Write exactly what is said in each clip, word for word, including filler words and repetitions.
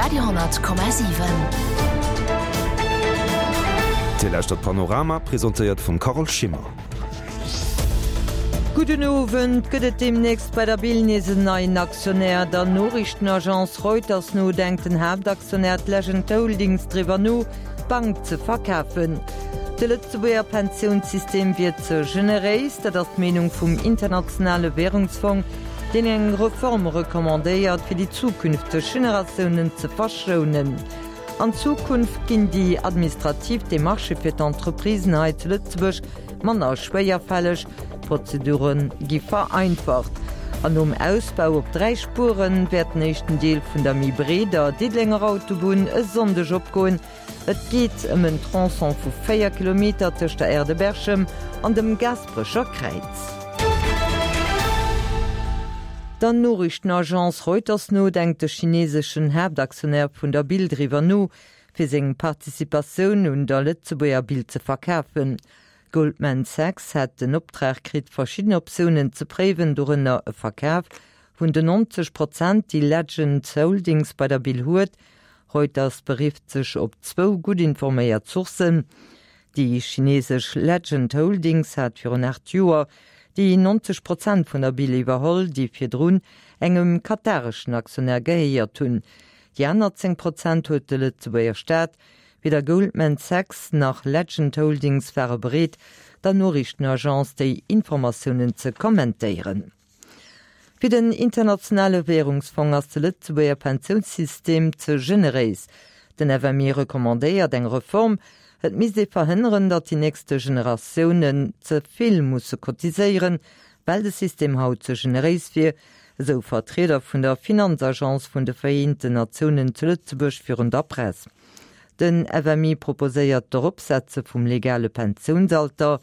Radio honnert Komma siwen. Dir lauschtert Panorama, presentéiert vum Carole Schimmer. Gudden Owend. Gëtt et deemnächst bei der Bill nees en neien Aktionär? Der Noriichtenagence Reuters no denkt den Haaptaktionär Legend Holdings driwwer no, d'Bank ze verkafen. De Lëtzebuerger Pensiounssystem wier ze generéis, dat ass d'Meenung vum Internationale Wärungsfong, deen eng Reform recommandéiert, fir déi zukünfteg Generatiounen ze verschounen. An Zukunft ginn déi administrativ Demarchë fir d'Entreprisen hei zu Lëtzebuerg manner schwéierfälleg, d'Prozedure gi vereinfacht. An nom Ausbau op dräi Spuere wäert den éischten Deel vun der méi breeder Diddelenger Autobunn e Sonndeg opgoen. Et geet ëm en Tronçon vu véier Kilometer tëscht der Aire de Berchem an dem Gaasperecher Kräiz. Der Noriichtenagence Reuters no denkt de chineseschen Haaptaktionär vun der Bill driwwer no, fir seng Participatioun un der Lëtzebuerger Bill ze verkafen. Goldman Sachs hätt den Optrag kritt, verschidden Optiounen ze préiwen, dorënner e Verkaf vun den neunzeg Prozent, déi Legend Holdings bei der Bill huet. Reuters berifft sech op zwou gutt informéiert Sourcen. Déi chinesesch Legend Holdings hat virun aacht Joer déi neunzeg Prozent vun der Bill iwwerholl, déi virdrun engem katareschen Aktionär gehéiert hunn. Déi aner zéng Prozent huet de Lëtzebuerger Staat. Weder Goldman Sachs nach Legend Holdings ware bereet, der Noriichtenagence déi Informatiounen ze kommentéieren. Fir den Internationale Währungsfong ass de Lëtzebuerger Pensiounssystem ze generéis. Den F M I recommandéiert eng Reform. Et misst ee verhënneren, datt déi nächste Generatiounen ze vill musse cotiséieren, well de System haut ze generéis wier, esou Vertrieder vun der Finanzagence vun de Vereenten Natiounen zu Lëtzebuerg virun der Press. Den F M I proposéiert d'Eropsetze vum legale Pensiounsalter.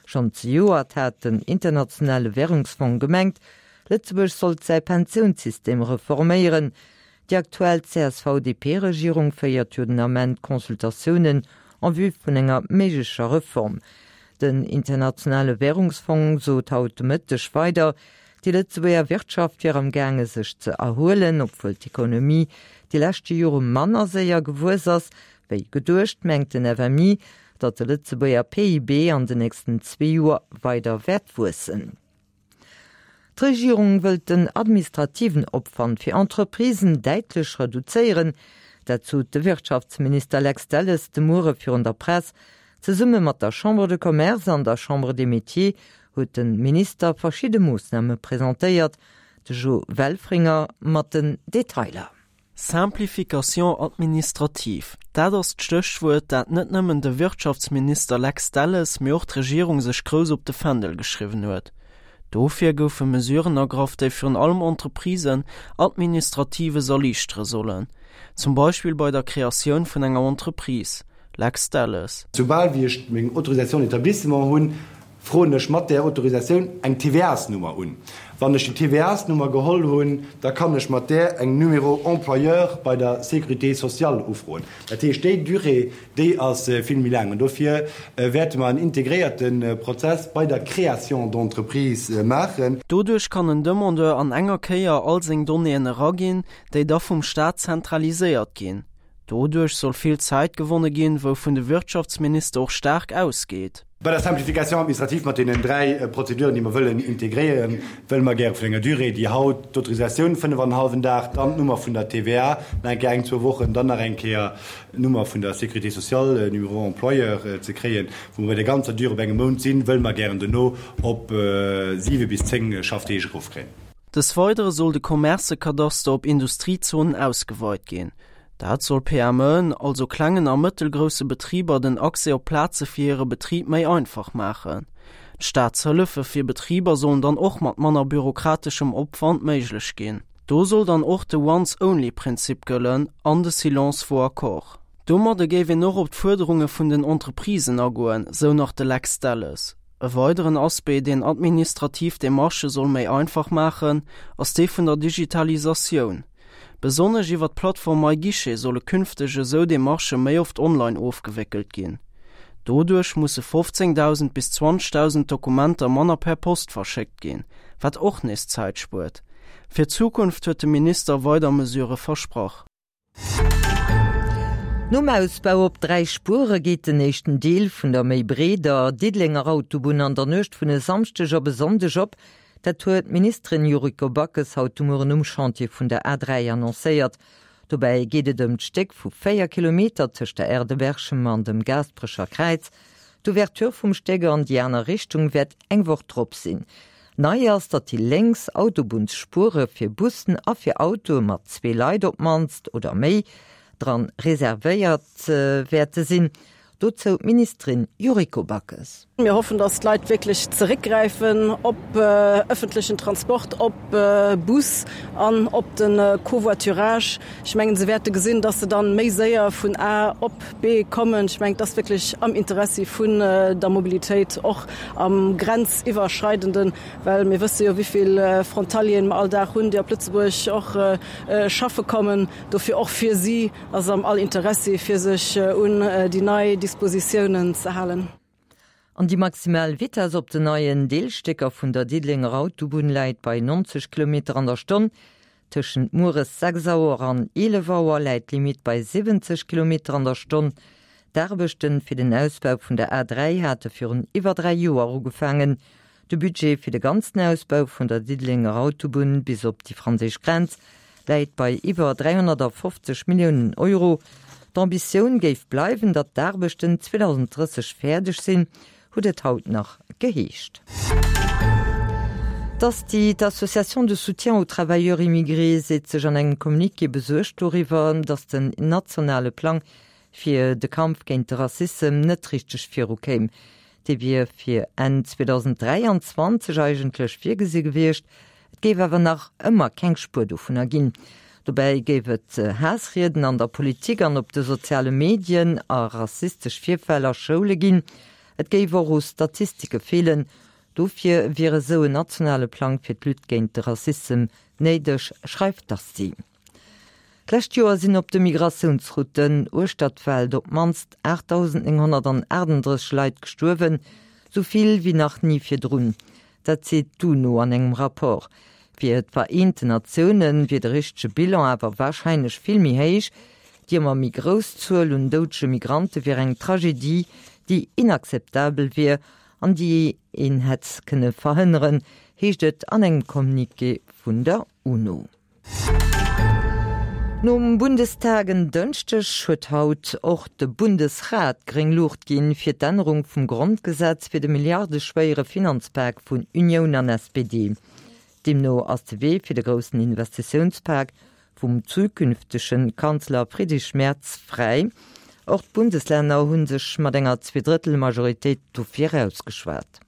Schonn zejoert hat den Internationale Wärungsfong gemengt, Lëtzebuerg sollt säi Pensiounssystem reforméieren. Déi aktuell C S V-D P-Regierung féiert jo den Ament Consultatiounen en vue vun enger méiglecher Reform. Den Internationale Wärungsfong sot haut de Mëtteg weider, déi Lëtzebuerger Wirtschaft wier am gaange sech ze erhuelen. Obwuel d'Ekonomie déi leschte Jore manner séier gewuess ass wéi geduecht, mengt den F M I, datt de Lëtzebuerger P I B an den nächsten zwee Joer weider wäert wuessen. D'Regierung wëllt den administrativen Opwand fir Entreprisen däitlech reduzéieren. Dat sot de Wirtschaftsminister Lex Delles de Muere virun der Press. Zesumme mat der Chambre de Commerce an der Chambre des Métiers huet de Minister verschidde Moossname presentéiert. De Jo Welfringer mat den Detailer. Simplification administrative, dat ass d'Stéchwuert, dat net nëmmen de Wirtschaftsminister Lex Delles, mee och d'Regierung sech grouss op de Fändel geschriwwen huet. Dofir goufe Mesuren ergraff, déi virun allem Entreprisen Administratives erliichtere sollen, zum Beispill bei der Kreatioun vun enger Entreprise. Lex Delles. Soubal wéi ech meng Autorisation d'établissement hunn, froen ech mat där Autorisatioun eng T V A's-Nummer un. Wann ech déi T V A's-Nummer geholl hunn, da kann ech mat där eng Numéro employeur bei der Sécurité sociale ufroen. Dat heescht, déi Durée, déi ass vill méi laang. An dofir wäerte mer en integréierte Prozess bei der Création d'entreprise maachen. Doduerch kann en Demandeur an enger Kéier all seng Donnéeën eraginn, déi da vum Staat zentraliséiert ginn. Doduerch soll vill Zäit gewonne ginn, wouvun de Wirtschaftsminister och staark ausgeet. Bei der Simplification administrative mat deenen dräi Prozeduren, déi mer wëllen integréieren, wëlle mer gäre vun enger Durée, déi haut d'Autorisatioun fënnef an en hallwen Dag, dann d'Nummer vun der T V A nach eng Kéier eng, zwou Wochen, dann nach eng Kéier d'Nummer vun der Sécurité sociale, Numéro employeur, ze kréien, wou mer bei der ganzer Durée op engem Mount sinn, wëlle mer gären dono op siwe bis zéng Schaffdeeg erofkréien. Des Weidere soll de Commercekadaster op Industriezonen ausgeweit ginn. Dat soll P M Eën, also klengen a mëttelgrousse Betriber, den Accès op Plaze fir hire Betrib méi einfach maachen. D'Staatshëllefe fir Betriber sollen dann och mat manner bürokrateschem Opwand méiglech ginn. Do soll dann och de Once-Only-Prinzip gëllen an de Silence vaut accord. Domadde géif een och op d'Fuerderunge vun den Entreprisen agoen, sou nach de Lex Delles. E weideren Aspect, deen administrativ Demarchë soll méi einfach maachen, ass dee vun der Digitalisatioun. Besonnesch iwwer d'Plattform MyGuichet solle künfteg esou Demarchë méi oft online ofgewéckelt ginn. Doduerch musse fofzéngdausend bis zwanzegdausend Dokumenter manner per Post verschéckt ginn, wat och nees Zäit spuert. Fir d'Zukunft huet de Minister weider Mesurë versprach. Nom Ausbau op dräi Spuere geet den éischten Deel vun der méi breeder Diddelenger Autobunn an der Nuecht vun e Samschdeg op e Sonndeg op. Dat huet d'Ministerin Yuriko Backes haut de Mueren um Chantier vun der A dräi annoncéiert. Dobäi geet et ëm d'Stéck vu véier Kilometer tëscht der Aire de Berchem an dem Gaasperecher Kräiz. D'Ouverture vum Stéck an déi aner Richtung wäert eng Woch drop sinn. Nei ass, datt déi lénks Autobunnsspuere fir Bussen a fir Autoe mat zwee Leit op d'mannst oder méi dran reservéiert wäerte sinn. Dozou d'Ministerin Yuriko Backes. Mir hoffen, dass d'Leit wierklech zeréckgräifen op ëffentlechen Transport, op Bus an op de Covoiturage. Ech mengen, se wäerte gesinn, dass se dann méi séier vun A op B kommen. Ech mengen, et ass wierklech am Interessi vun der Mobilitéit, och am Grenziwwerschreidenden, well mir wësse jo, wéi vill Frontalieren mer all Dag hunn, déi op Lëtzebuerg och schaffe kommen. Dofir och fir si ass am all Interessi, fir sech un déi nei Dispositiounen ze halen. An déi maximal Vitess op den neien Deelstécker vun der Diddelenger Autobunn läit bei neunzeg Kilometer an der Stonn. Tëschent mueres sechs Auer an eelef Auer läit d'Limitt bei siwwenzeg Kilometer an der Stonn. D'Aarbechte fir den Ausbau vun der A dräi hate virun iwwer dräi Joer ugefaangen. De Budget fir de ganzen Ausbau vun der Diddelenger Autobunn bis op déi franséisch Grenz läit bei iwwer dräihonnertafofzeg Milliounen Euro. D'Ambitioun géif bleiwen, datt d'Aarbechten zweedausenddrësseg fäerdeg sinn, huet et haut nach geheescht. D'Asti, d'Association de soutien aux travailleurs immigrés, seet sech an engem Communiqué besuergt doriwwer, datt den nationale Plang fir de Kampf géint de Rassissem net richteg virukéim. Dee wier fir Enn zweedausenddräianzwanzeg eigentlech virgesi gewiescht, et géif awer nach ëmmer keng Spuer dovunner ginn. Dobäi géif et Haassrieden an der Politik an op de soziale Medien a rassistesch Virfäll a Schoule ginn. Et géif och u Statistike feelen. Dofir wier esou en nationale Plang fir d'Lutte géint de Rassissem néideg, schreift d'Asti. D'lescht Joer sinn op de Migratiounsrouten uechter d'Welt op d'mannst aachtdausendnénghonnertaachtenddrësseg Leit gestuerwen, sou vill wéi nach ni virdrun. Dat seet d'UNO an engem Rapport. Fir d'Vereenten Natioune wier de richtege Bilan awer warscheinlech vill méi héich. Déi ëmmer méi grouss Zuel un doudege Migrante wier eng Tragedie, déi inakzeptabel wier an déi een hätt kënne verhënneren, heescht et an engem Communiqué vun der UNO. Nom Bundestag en Dënschdeg huet haut och de Bundesrat gréng Luucht ginn fir d'Ännerung vum Grondgesetz fir de milliardeschwéiere Finanzpak vun Unioun an S P D. Deemno ass de Wee fir de groussen Investitiounspak vum zukünftege Kanzler Friedrich Merz fräi. Och d'Bundeslänner hu sech mat enger Zweedrëttel-Majoritéit dofir ausgeschwat.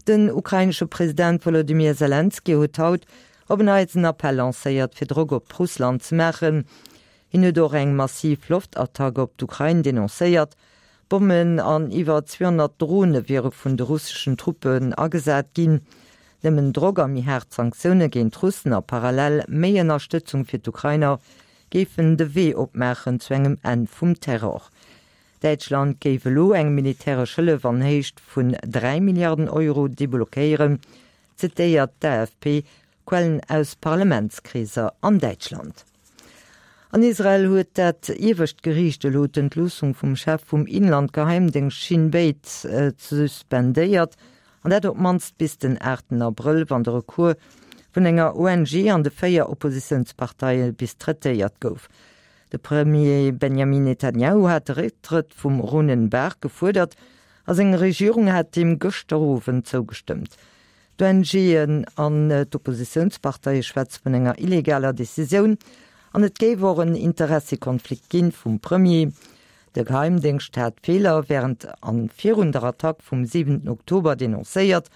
Den ukrainesche President Wolodymyr Selenskyj huet haut op en Neits en Appell lancéiert, fir Drock op Russland ze maachen. Hien huet och eng massiv Loftattack op d'Ukrain denoncéiert. Bommen an iwwer zweehonnert Drone wiere vun de russeschen Truppen agesat ginn. Nëmmen Drock a méi haart Sanktioune géint d'Russen a parallel méi Ënnerstëtzung fir d'Ukrainer géifen de Wee opmaachen zu engem Enn vum Terror. Däitschland géif elo eng militäresch Hëllef an Héicht vun dräi Milliarden Euro deblockéieren, zitéiert d'A F P Quellen aus Parlamentskreeser an Däitschland. An Israel huet dat iewescht Geriicht elo d'Entloossung vum Chef vum Inlandgeheimdéngscht Shin Bet suspendéiert, an dat op d'mannst bis den aachten Abrëll, wann de Recours vun enger O N G an de véier Oppositiounsparteie bis traitéiert gouf. De Premier Benjamin Netanjahu hat de Récktrëtt vum Ronen Bar gefuerdert a seng Regierung hat deem gëschter Owend zougestëmmt. D'ONGen an d'Oppositiounsparteie schwätze vun enger illegaler Decisioun an et géif och en Interessekonflikt ginn vum Premier. De Geheimdéngscht hat Feeler wärend an virun der Attack vum siwenten Oktober denoncéiert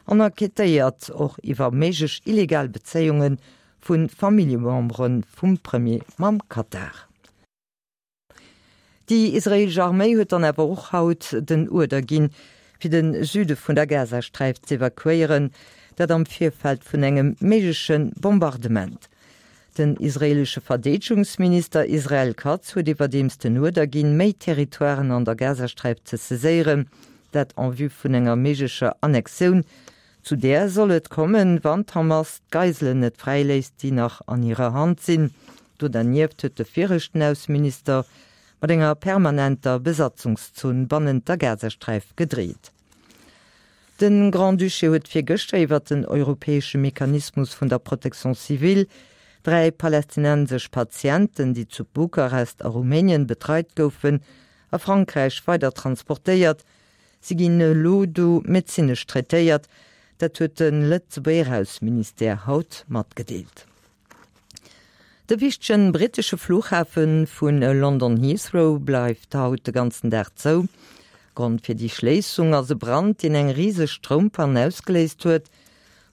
an enquêtéiert och iwwer méiglech illegal Bezéiunge vu Familljemembere vum Premier mam Katar. Déi israeelesch Arméi huet dann awer och haut den Uerder ginn, fir de Süde vun der Gazasträif z'evakuéieren, dat am Virfeld vun engem méigleche Bombardement. Den israeelesche Verdeedegungsminister Israel Katz huet iwwerdeems den Uerder ginn, méi Territoiren an der Gazasträif ze saiséieren, dat en vue vun enger méiglecher Annexioun. Zu där soll et kommen, wann d'Hamas d'Geiselen net fräiléisst, déi nach an hirer Hand sinn. Do dernieft huet de viregten Ausseminister mat enger permanenter Besatzungszon bannent der Gazasträif gedreet. De Grand-Duché huet virgëschter iwwer den europäesche Mechanismus vun der Protection civile dräi palästinensesch Patienten, déi zu Bukarest a Rumänien betreit goufen, a Frankräich weider transportéiert. Si ginn elo do medezinesch traitéiert. Dat huet de Lëtzebuerger Ausseministère haut matgedeelt. De wichtegen brittesche Fluchhafe vu London Heathrow bleift haut de ganzen Dag zou. Grond fir déi Schléissung ass e Brand, deen eng riseg Stroumpann ausgeléist huet.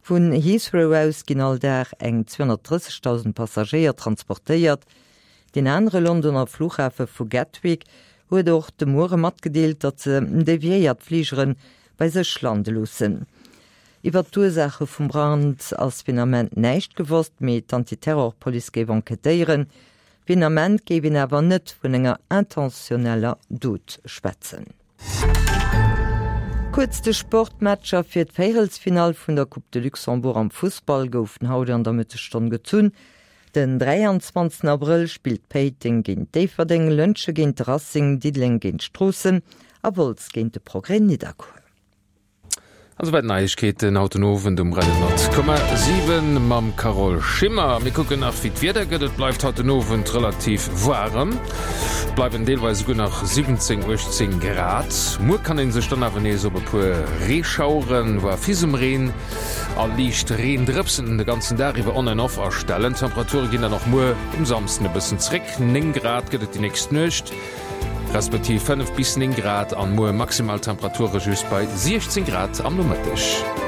Vun Heathrow aus ginn all Dag eng zweehonnertdrëssegdausend Passagéier transportéiert. Deen anere Londoner Fluchhafe vu Gatwick huet och de Muere matgedeelt, datt se deviéiert Fligere bei sech lande loossen. Iwwer d'Ursaache vum Brand ass fir den Ament näischt gewosst, mee d'Antiterrorpolice géif enquêtéieren. Fir den Ament géif een awer net vun enger intentioneller Dot schwätzen. Kuerz de Sport, D'Matcher fir d'Véierelsfinall vun der Coupe de Luxembourg am Fussball goufen haut an der Mëttesstonn gezunn. Den dräianzwanzegsten Abrëll spillt Péiteng géint Déifferdeng, Lëntge géint de Racing, Diddeleng géint Stroossen a Wolz géint de Progrès Nidderkuer. An esouwäit d'Neiegkeeten haut den Owend um Radio honnert Komma siwen mam Carole Schimmer. Mir kucken nach wéi d'Wieder gëtt. Et bleift haut den Owend relativ waarem, et bleiwen deelweis esouguer nach siwwenzéng, uechtzéng Grad. Muer kann ee sech dann awer nees op e puer Reeschaueren, voire Fisemreen a liicht Reendrëpsen de ganzen Dag iwwer on and off astellen. D'Temperature ginn dann och muer um Samsden e bëssen zréck, néng Grad gëtt et déi nächst Nuecht. Respektiv fënnef bis néng Grad an muer maximal Temperature just bei siechzéng Grad am Nomëtteg.